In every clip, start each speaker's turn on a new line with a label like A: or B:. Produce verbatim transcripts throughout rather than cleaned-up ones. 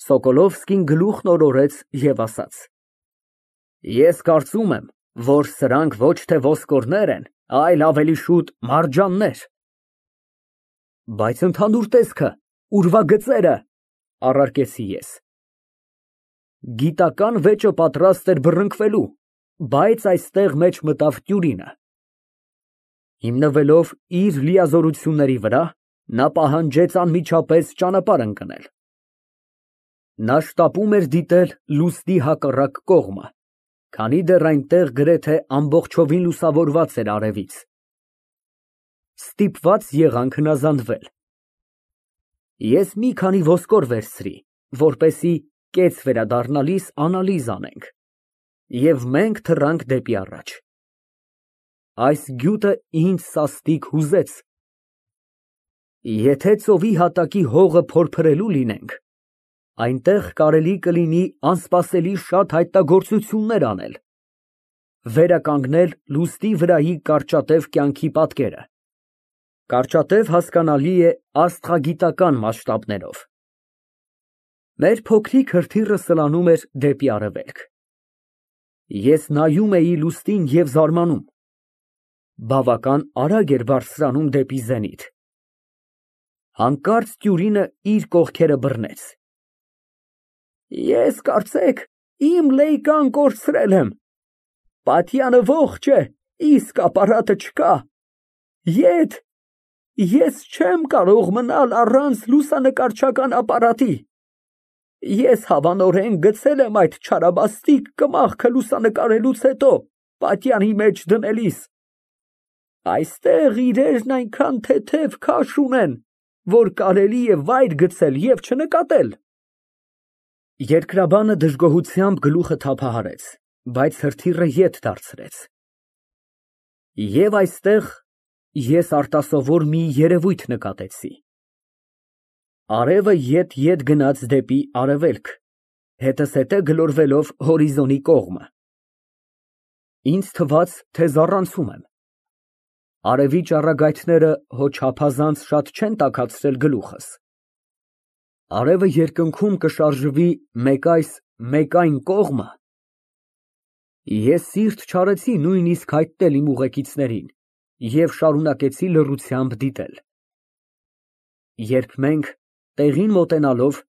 A: Սոկոլովսկին գլուխն օրորեց և ասաց. Ես կարծում եմ, որ սրանք ոչ թե ոսկորներ են, այլ ավելի շուտ մարջաններ։ Բայց ընդհանուր տեսքը, ուրվագծերը, առարկեցի ես։ Գիտական վեճը պատրաստ էր բռնկվելու, բայց այստեղ մեջ մտավ Տյուրինը։ Հիմնվելով իր լիազորությունների վրա, նա պահանջեց անմիջապես ճանապարհ ընկնել։ Նա շտապում էր դիտել լուսնի հակառակ կողմը, քանի դեռ այնտեղ գրեթե ամբողջովին լուսավորված էր արևից։ Ստիպված եղանք հնազանդվել։ Ես մի քանի ոսկոր վերցրի, որպեսզի կեց վերադառնալիս անալիզ անենք, և մենք թռանք դեպի առաջ։ Այս գյուտը ինձ սաստիկ հուզեց։ Եթե ծովի հատակի հողը փորփրելու լինենք, այնտեղ կարելի կլինի անսպասելի շատ հայտնագործություններ անել, վերականգնել լուսնի վրայի կարճատև կյանքի պատկերը։ Կարճատև հասկանալի է աստղագիտական մասշտաբներով։ Մեր փոքրիկ հրթիռը սլանում էր դեպի արևելք։ Ես նայում էի լուսնին և զարմանում։ Բավական արագ էր բարձրանում դեպի զենիթ։ Հանկարծ Տյուրինը իր կողքերը բռնեց։ Ես կարծեք իմ լեյկան կորցրել եմ։ Պատյանը ողջ է, իսկ ապարատը չկա։ Եթ, ես չեմ կարող մնալ առանց լուսանկարչական ապարատի։ Ես հավանորեն գցել եմ այդ չարաբաստիկ կմախքը լուսանկարելուց հետո, պատյանի մեջ դնելիս։ Այստեղ իրերն այնքան թեթև քաշ ունեն, որ կարելի է վայր գցել և չնկատել։ Երկրաբանը դժգոհությամբ գլուխը թափահարեց, բայց հրթիռը ետ դարձրեց։ Եվ այստեղ ես արտասովոր մի երևույթ նկատեցի։ Արևը ետ֊ետ գնաց դեպի արևելք, հետզհետե գլորվելով հորիզոնի կողմը։ Ինձ թվաց, թե զառանցում եմ։ Արևի ճառագայթները հո չափազանց շատ չեն տաքացրել գլուխս։ Արևը երկնքում կշարժվի մեկ այս, մեկ այն կողմը։ Ես սիրտ չարեցի նույնիսկ հայտնել իմ ուղեկիցներին և շարունակեցի լռությամբ դիտել։ Երբ մենք, տեղին մոտենալով,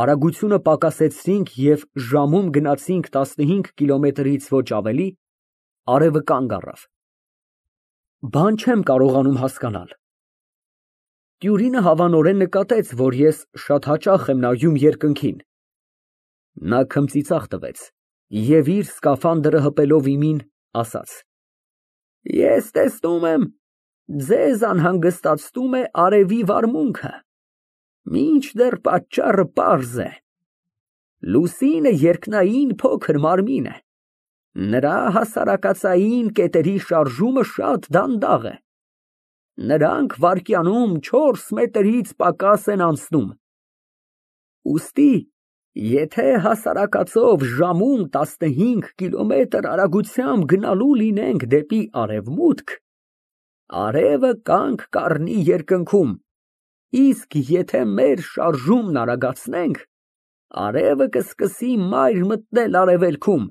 A: արագությունը պակասեցրինք և ժամում գնացինք տասնհինգ կիլոմետրից ոչ ավելի, արևը կանգ առավ։ Բան չեմ կարողանում հասկանալ։ Տյուրինը հավանորեն նկատեց, որ ես շատ հաճախ եմ նայում երկնքին։ Նա քմծիծաղ տվեց և իր սկաֆանդրը հպելով իմին, ասաց. Ես տեսնում եմ, ձեզ անհանգստացնում է արևի վարմունքը, մինչդեռ պատճառը պարզ է։ Լուսինը երկնային փոքր մարմին է։ Նրա հասարակածային կետերի շարժումը շատ դանդաղ է։ Նրանք վայրկյանում չորս մետրից պակաս են անցնում։ Ուստի, եթե հասարակածով ժամում տասնհինգ կիլոմետր արագությամբ գնալու լինենք դեպի արևմուտք, արևը կանգ կառնի երկնքում, իսկ եթե մեր շարժումն արագացնենք, արևը կսկսի մայր մտնել արևելքում։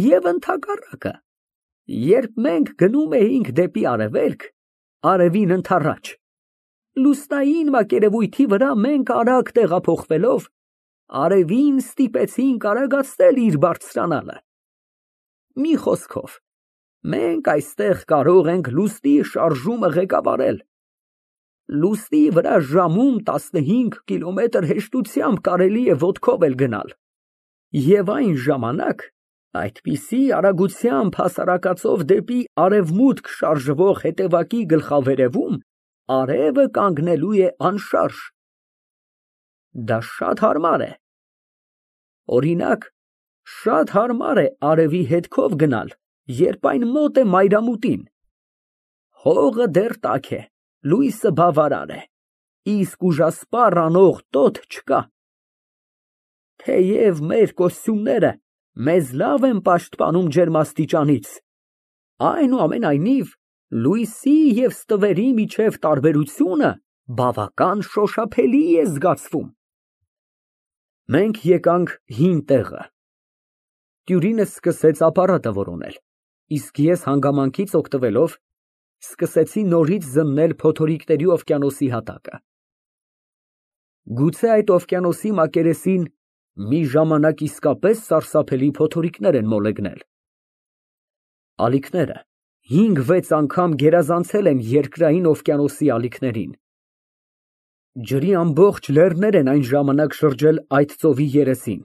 A: Եվ ընդհակառակը, երբ մենք գնում էինք դեպի արևելք, արևին ընդառաջ, լուսնային մակերևույթի վրա մենք արագ տեղափոխվելով, արևին ստիպեցինք արագացնել իր բարձրանալը։ Մի խոսքով, մենք այստեղ կարող ենք լուսնի շարժումը ղեկավարել։ Լուսնի վրա ժամում տասնհինգ կիլոմետր հեշտությամբ կարելի է ոտքով էլ գնալ, և այն ժամանակ այդպիսի արագությամբ հասարակածով դեպի արևմուտք շարժվող հետևակի գլխավերևում արևը կանգնելու է անշարժ։ Դա շատ հարմար է։ Օրինակ, շատ հարմար է արևի հետքով գնալ, երբ այն մոտ է մայրամուտին։ Հողը դեռ տաք է, լույսը բավարար է, իսկ ուժասպառ անող տոթ չկա։ Թեև մեր կոստյումները մեզ լավ են պաշտպանում ջերմաստիճանից, այնուամենայնիվ լույսի և ստվերի միջև տարբերությունը բավական շոշափելի է զգացվում։ Մենք եկանք հին տեղը։ Տյուրինը սկսեց ապարատը որոնել, իսկ ես հանգամանքից օգտվելով սկսեցի նորից զննել փոթորիկների օվկիանոսի հատակը։ Գուցե այդ օվկիանոսի մակերեսին մի ժամանակ իսկապես սարսափելի փոթորիկներ են մոլեգնել։ Ալիքները հինգ֊վեց անգամ գերազանցել են երկրային օվկիանոսի ալիքներին։ Ջրի ամբողջ լեռներ են այն ժամանակ շրջել այդ ծովի երեսին։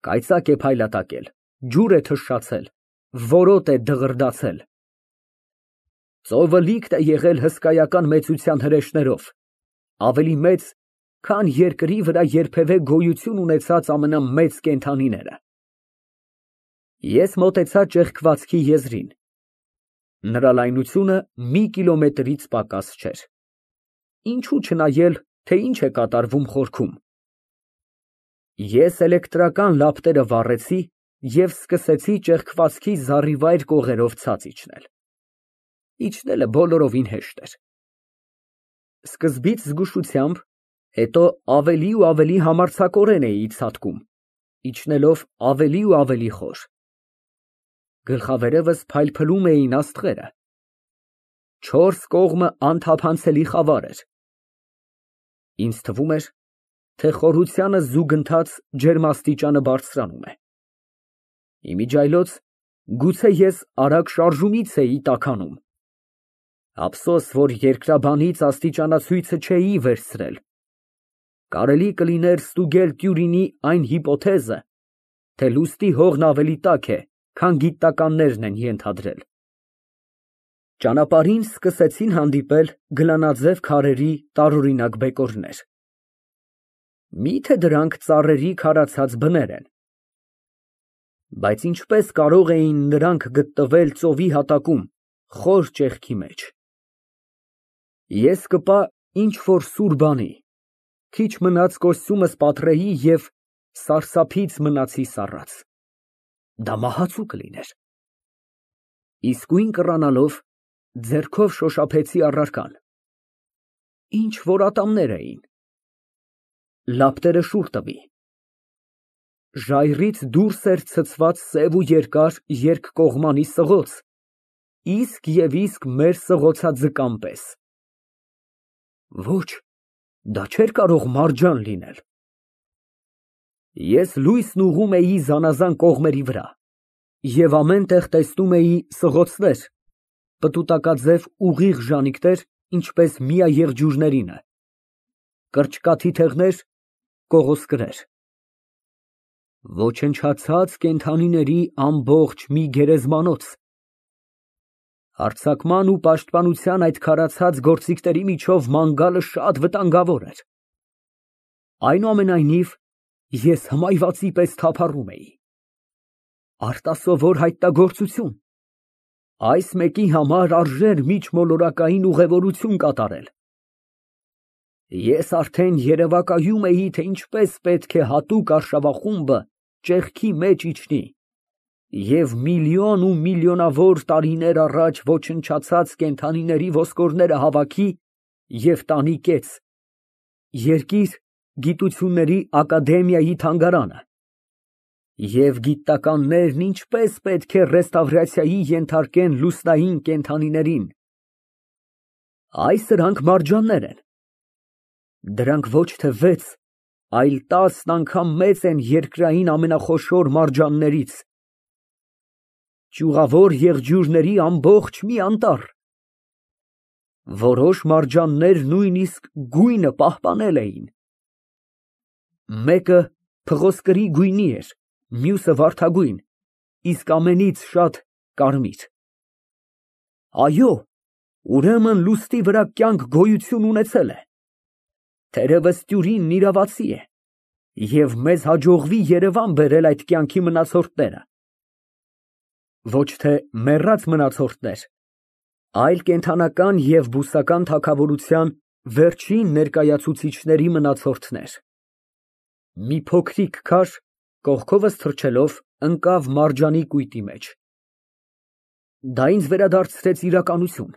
A: Կայծակ է փայլատակել, ջուր է թշշացել, որոտ է դղրդացել։ Ծովը լիքտ է եղել հսկայական մեծության հրեշներով, ավելի մեծ, քան երկրի վրա երբևէ գոյություն ունեցած ամենամեծ կենդանիները։ Ես մոտեցա ճեղքվածքի եզրին։ Նրա լայնությունը մի կիլոմետրից պակաս չէր։ Ինչու չնայել, թե ինչ է կատարվում խորքում։ Ես էլեկտրական լապտերը վառեցի և սկսեցի ճեղքվածքի զառիվայր կողերով ցած իջնել։ Իջնելը բոլորովին հեշտ էր։ Սկզբից զգուշությամբ, հետո ավելի ու ավելի համարձակորեն էի ցատկում, իջնելով ավելի ու ավելի խոր։ Գլխավերևս փայլփլում էին աստղերը։ Չորս կողմը անթափանցելի խավար էր։ Ինձ թվում էր, թե խորությանս զուգընթաց ջերմաստիճանը բարձրանում է։ Իմիջիայլոց գուցե ես արագ շարժումից էի տաքանում։ Ափսոս, որ երկրաբանից աստիճանացույցը չէի վերցրել։ Կարելի կլիներ ստուգել Տյուրինի այն հիպոթեզը, թե լուստի հողն ավելի տաք է, քան գիտնականներն են ենթադրել։ Ճանապարհին սկսեցին հանդիպել գլանաձև քարերի տարօրինակ բեկորներ։ Մի՞թե դրանք ծառերի քարացած բներ են։ Բայց ինչպես կարող էին նրանք գտնվել ծովի հատակում, խոր ճեղքի մեջ։ Ես կպա ինչ֊որ սուր բանի, քիչ մնաց կոստյումս պատռեի և սարսափից մնացի սառած։ Դա մահացու կլիներ։ Իսկույն կռանալով, ձեռքով շոշափեցի առարկան։ Ինչ֊որ ատամներ էին։ Լապտերը շուռ տվի։ Ժայռից դուրս էր ցցված սև ու երկար երկկողմանի սղոց, իսկ և իսկ մեր սղոցաձկան պես։ Ոչ, դա չէր կարող մարջան լինել։ Ես լույսն ուղղում էի զանազան կողմերի վրա և ամեն տեղ տեսնում էի սղոցներ, պտուտակաձև ուղիղ ժանիքներ, ինչպես միաեղջյուրներինը, կրճկաթիթեղներ, կողոսկրեր։ Ոչնչացած կենդանիների ամբողջ մի գերեզմանոց։ Հարձակման ու պաշտպանության այդ քարացած գործիքների միջով ման գալը շատ վտանգավոր էր։ Այնուամենայնիվ, ես հմայվածի պես թափառում էի։ Արտասովոր հայտնագործություն։ Այս մեկի համար արժեր միջմոլորակային ուղևորություն կատարել։ Ես արդեն երևակայում էի, թե ինչպես պետք է հատուկ արշավախումբը ճեղքի մեջ իջնի և միլիոն ու միլիոնավոր տարիներ առաջ ոչնչացած կենդանիների ոսկորները հավաքի և տանի կեց, երկիր գիտությունների ակադեմիայի թանգարանը, և գիտնականներն ինչպես պետք է ռեստավրացիայի ենթարկեն լուսնային կենդանիներին։ Այ սրանք մարջաններ են։ Դրանք ոչ թե վեց, այլ տասն անգամ մեծ են երկրային ամենախոշոր մարջաններից։ Ճյուղավոր եղջյուրների ամբողջ մի անտառ։ Որոշ մարջաններ նույնիսկ գույնը պահպանել էին։ Մեկը փղոսկրի գույնի էր, մյուսը վարդագույն, իսկ ամենից շատ կարմիր։ Այո, ուրեմն լուստի վրա կյանք գոյություն ունեցել է։ Թերևս Տյուրինն իրավացի է, և մեզ հաջողվի Երևան բերել այդ կյանքի մնացորդները։ Ոչ թե մեռած մնացորդներ, այլ կենդանական և բուսական թագավորության վերջին ներկայացուցիչների մնացորդներ։ Մի փոքրիկ քար, կողքովս թռչելով, ընկավ մարջանի կույտի մեջ։ Դա ինձ վերադարձրեց իրականություն։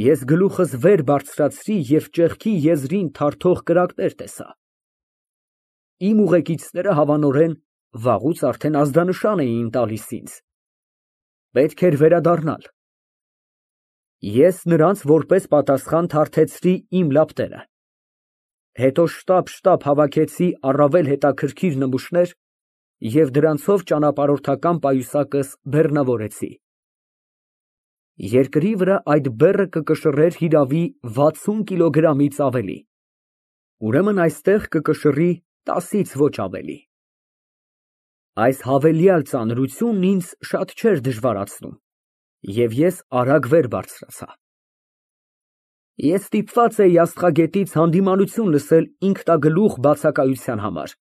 A: Ես գլուխս վեր բարձրացրի և ճեղքի եզրին թարթող կրակներ տեսա։ Իմ ուղեկիցները հավանորեն վաղուց արդեն ազդանշան էին տալիս ինձ։ Պետք էր վերադառնալ։ Ես նրանց որպես պատասխան թարթեցրի իմ լապտերը, հետո շտապ֊շտապ հավաքեցի առավել հետաքրքիր նմուշներ և դրանցով ճանապարհորդական պայուսակս բեռնավորեցի։ Երկրի վրա այդ բեռը կկշռեր հիրավի վաթսուն կիլոգրամից ավելի, ուրեմն այստեղ կկշռի տասից ոչ ավելի։ Այս հավելյալ ծանրությունն ինձ շատ չէր դժվարացնում, և ես արագ վեր բարձրացա։ Ես ստիպված էի աստղագետից հանդիմանություն լսել ինքնագլուխ բացակայության համար,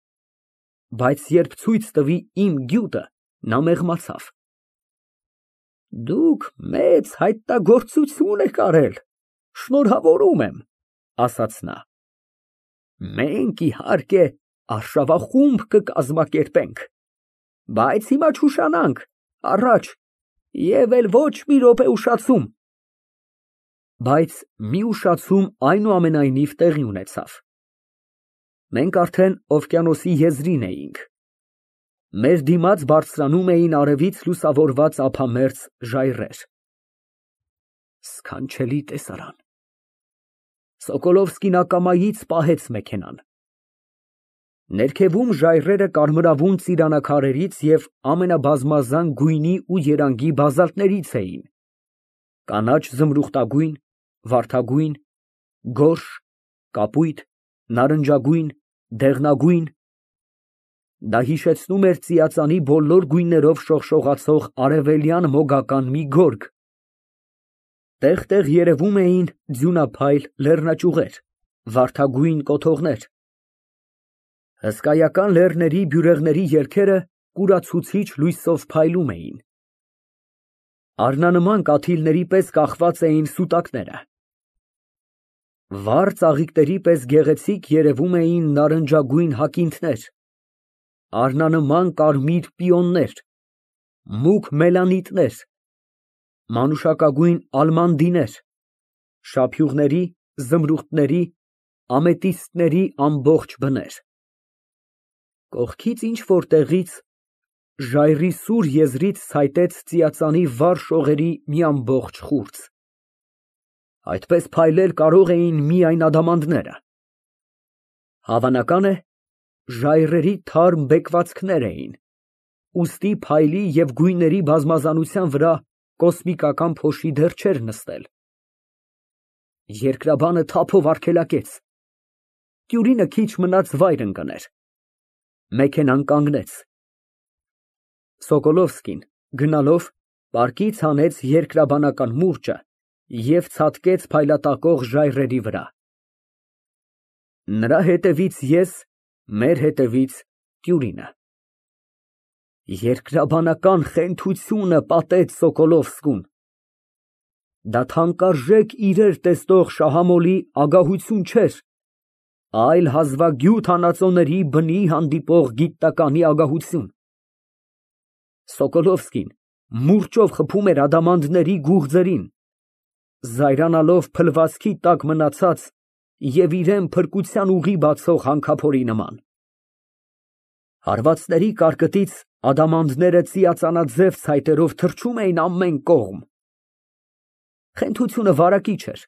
A: բայց երբ ցույց տվի իմ գյուտը, նա մեղմացավ։ Դուք մեծ հայտնագործություն եք արել, շնորհավորում եմ, ասաց նա։ Մենք, իհարկե, արշավախումբ կկազմակերպենք, բայց հիմա չուշանանք, առաջ և էլ ոչ մի րոպե ուշացում։ Բայց մի ուշացում այնուամենայնիվ տեղի ունեցավ։ Մենք արդեն օվկիանոսի եզրին էինք։ Մեր դիմաց բարձրանում էին արևից լուսավորված ափամերձ ժայռեր։ Սքանչելի տեսարան։ Սոկոլովսկին ակամայից պահեց մեքենան։ Ներքևում ժայռերը կարմրավուն ծիրանաքարերից և ամենաբազմազան գույնի ու երանգի բազալտներից էին. կանաչ զմրուխտագույն, վարդագույն, գորշ, կապույտ, նարնջագույն, դեղնագույն։ Դա հիշեցնում էր ծիածանի բոլոր գույներով շողշողացող արևելյան մոգական մի գորգ։ Տեղ֊տեղ երևում էին ձյունափայլ լեռնաճյուղեր, վարդագույն կոթողներ։ Հսկայական լեռների բյուրեղների ելքերը կուրացուցիչ լույսով փայլում էին։ Առնանման կաթիլների պես կախված էին սուտակները։ Վառ ծաղիկների պես գեղեցիկ երևում էին նարնջագույն հակինդներ, առնանման կարմիր պիոններ, մուգ մելանիտներ, մանուշակագույն ալմանդիներ, շափյուղների, զմրուխտների, ամետիստների ամբողջ բներ։ Կողքից ինչ֊որ տեղից ժայռի սուր եզրից ցայտեց ծիածանի վառ շողերի մի ամբողջ խուրձ։ Այդպես փայլել կարող էին միայն ադամանդները։ Հավանական է, ժայռերի թարմ բեկվածքներ էին, ուստի փայլի և գույների բազմազանության վրա կոսմիկական փոշի դեռ չէր նստել։ Երկրաբանը թափով արգելակեց։ Տյուրինը քիչ մնաց վայր ընկներ։ Մեքենան կանգնեց։ Սոկոլովսկին, գնալով, պարկից հանեց երկրաբանական մուրճը և ցատկեց փայլատակող ժայռերի վրա։ Նրա հետևից ես, մեր հետևից Տյուրինը։ Երկրաբանական խենթությունը պատեց Սոկոլովսկուն։ Դա թանկարժեք իրեր տեսնող շահամոլի ագահություն չէր, այլ հազվագյուտ հանածոների բնի հանդիպող գիտականի ագահություն։ Սոկոլովսկին մուրճով խփում էր ադամանդների գուղձերին, զայրանալով փլվածքի տակ մնացած և իրան փրկության ուղի բացող հանքափորի նման։ Հարվածների կարկտից ադամանդները ծիածանաձև ցայտերով թռչում էին ամեն կողմ։ Խենթությունը վարակիչ էր։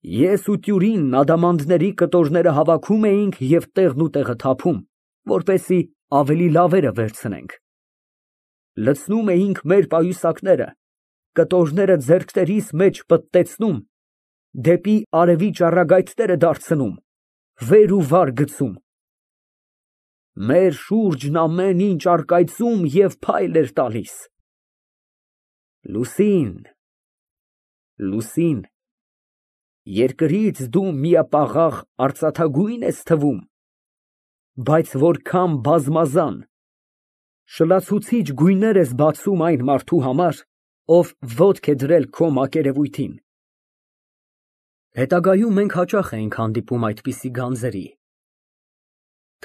A: Ես ու Տյուրինն ադամանդների կտորները հավաքում էինք և տեղն ու տեղը թափում, որպեսզի ավելի լավերը վերցնենք։ Լցնում էինք մեր պայուսակները, կտորները ձեռքներիս մեջ պտտեցնում, դեպի արևի ճառագայթները դարձնում, վեր ու վար գցում։ Մեր շուրջն ամեն ինչ առկայծում և փայլ էր տալիս։ Լուսին, լուսին, երկրից դու միապաղաղ արծաթագույն ես թվում, բայց որքան բազմազան, շլացուցիչ գույներ ես բացում այն մարդու համար, ով ոտք է դրել քո մակերևույթին։ Հետագայում մենք հաճախ էինք հանդիպում այդպիսի գանձերի։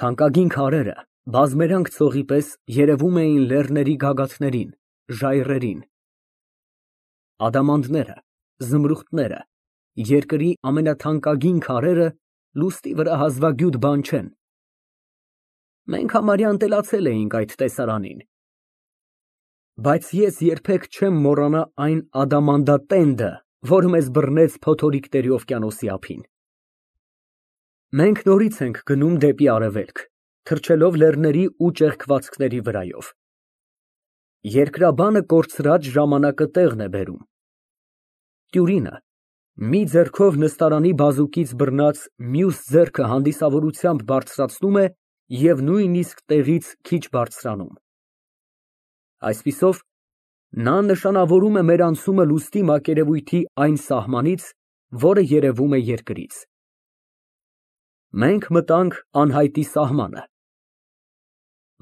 A: Թանկագին քարերը բազմերանգ ցողի պես երևում էին լեռների գագաթներին, ժայռերին։ Ադամանդները, զմրուխտները, երկրի ամենաթանկագին քարերը լուստի վրա հազվագյուտ բան չեն, Մենք համարյա ընտելացել էինք այդ տեսարանին։ Բայց ես երբեք չեմ մոռանա այն ադամանդատենդը, որը մեզ բռնեց փոթորիկների օվկիանոսի ափին։ Մենք նորից ենք գնում դեպի արևելք, թռչելով լեռների ու ճեղքվածքների վրայով։ Երկրաբանը կորցրած ժամանակը տեղն է բերում։ Տյուրինը մի ձեռքով նստարանի բազուկից բռնած մյուս ձեռքը հանդիսավորությամբ բարձրացնում է և նույնիսկ տեղից քիչ բարձրանում։ Այսպիսով, նա նշանավորում է մեր անցումը լուստի մակերևույթի այն սահմանից, որը երևում է երկրից։ Մենք մտանք անհայտի սահմանը։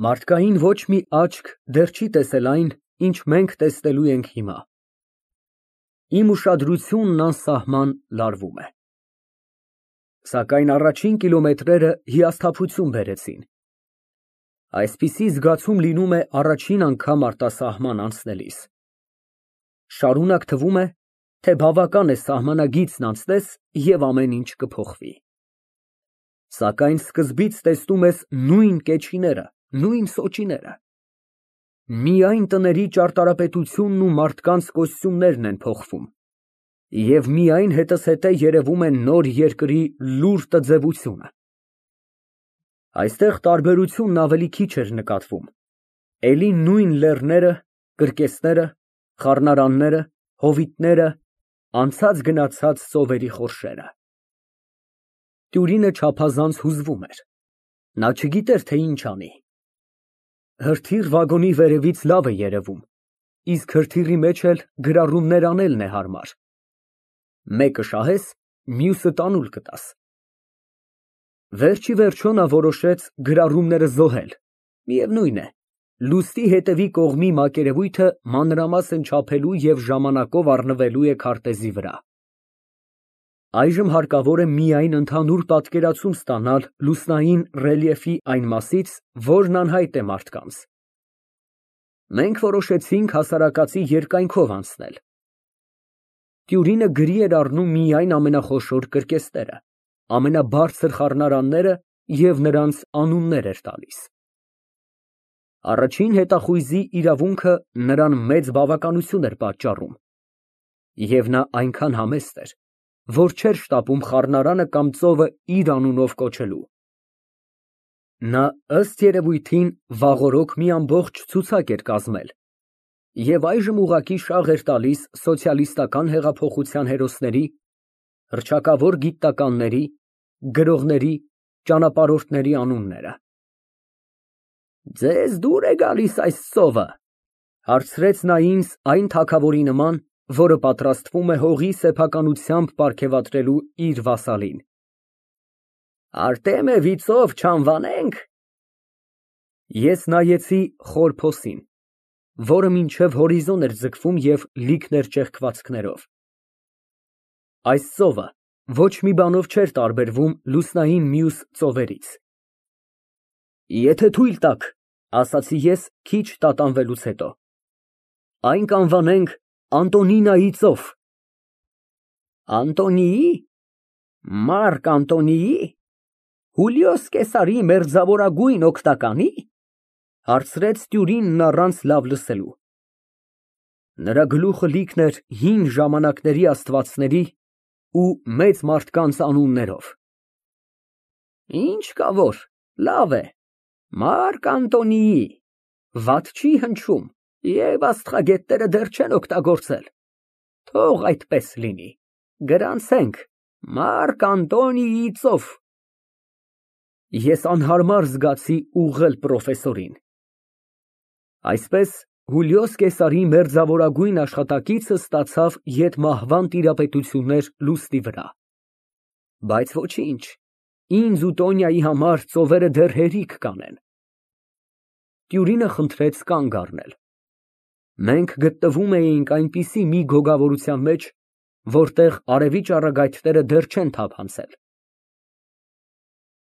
A: Մարդկային ոչ մի աչք դեռ չի տեսել այն, ինչ մենք տեսնելու ենք հիմա։ Իմ ուշադրությունն անսահման լարվում է։ Սակայն առաջին կիլոմետրերը հիասթափություն բերեցին։ Այսպիսի զգացում լինում է առաջին անգամ արտասահման անցնելիս։ Շարունակ թվում է, թե բավական է սահմանագիծն անցնես և ամեն ինչ կփոխվի։ Սակայն սկզբից տեսնում ես նույն կեչիները, նույն սոճիները։ Միայն տների ճարտարապետությունն ու մարդկանց կոստյումներն են փոխվում, և միայն հետզհետե երևում է նոր երկրի լուռ տձևությունը։ Այստեղ տարբերությունն ավելի քիչ էր նկատվում, էլի նույն լեռները, կրկեսները, խառնարանները, հովիտները, անցած֊գնացած ծովերի խորշերը։ Տյուրինը չափազանց հուզվում էր, նա չգիտեր, թե ինչ անի։ Հրթիռ վագոնի վերևից լավ է երևում, իսկ հրթիռի մեջ էլ գրառումներ անելն է հարմար։ Մեկը շահես, մյուսը տանուլ կտաս։ Վերջիվերջո նա որոշեց գրառումները զոհել, միևնույն է, լուստի հետևի կողմի մակերևույթը մանրամասն չափելու և ժամանակով առնվելու է քարտեզի վրա։ Այժմ հարկավոր է միայն ընդհանուր պատկերացում ստանալ լուսնային ռելիեֆի այն մասից, որն անհայտ է մարդկանց։ Մենք որոշեցինք հասարակածի երկայնքով անցնել։ Տյուրինը գրի էր առնում միայն ամենախոշոր կրկեսները, ամենաբարձր խառնարանները և նրանց անուններ էր տալիս։ Առաջին հետախույզի իրավունքը նրան մեծ բավականություն էր պատճառում, և նա այնքան համեստ էր, որ չէր շտապում խառնարանը կամ ծովը իր անունով կոչելու։ Նա, ըստ երևույթին, վաղօրոք մի ամբողջ ցուցակ էր կազմել և այժմ ուղղակի շաղ էր տալիս սոցիալիստական հեղափոխության հերոսների, հռչակավոր գիտնականների, գրողների, ճանապարհորդների անունները։ Ձեզ դուր է գալիս այս ծովը, հարցրեց նա ինձ այն թագավորի նման, որը պատրաստվում է հողի սեփականությամբ պարգևատրելու իր վասալին։ Արտեմևի ծով չանվանե՞նք։ Ես նայեցի խոր փոսին, որը մինչև հորիզոն էր ձգվում և լիքն էր ճեղքվածքներով։ Այս ծովը ոչ մի բանով չէր տարբերվում լուսնային մյուս ծովերից։ Եթե թույլ տաք, ասացի ես քիչ տատանվելուց հետո, այն կանվանենք Անտոնինայի ծով։ Անտոնիի՞, Մարկ Անտոնիի՞, Հուլիոս Կեսարի մերձավորագույն օգնականի՞, հարցրեց տյուրինն առանց լավ լսելու։ Նրա գլուխը լիքն էր հին ժամանակների աստվածների ու մեծ մարդկանց անուններով։ Ինչ կա որ, լավ է, Մարկ Անտոնիի, վատ չի հնչում, և աստղագետները դեռ չեն օգտագործել։ Թող այդպես լինի, գրանցենք Մարկ Անտոնիի ծով։ Ես անհարմար զգացի ուղղել պրոֆեսորին։ Այսպես Հուլիոս Կեսարի մերձավորագույն աշխատակիցը ստացավ ետմահվան տիրապետություններ լուստի վրա։ Բայց ոչինչ, ինձ ու Տոնյայի համար ծովերը դեռ հերիք կանեն։ Տյուրինը խնդրեց կանգ առնել։ Մենք գտնվում էինք այնպիսի մի գոգավորության մեջ, որտեղ արևի ճառագայթները դեռ չեն թափանցել։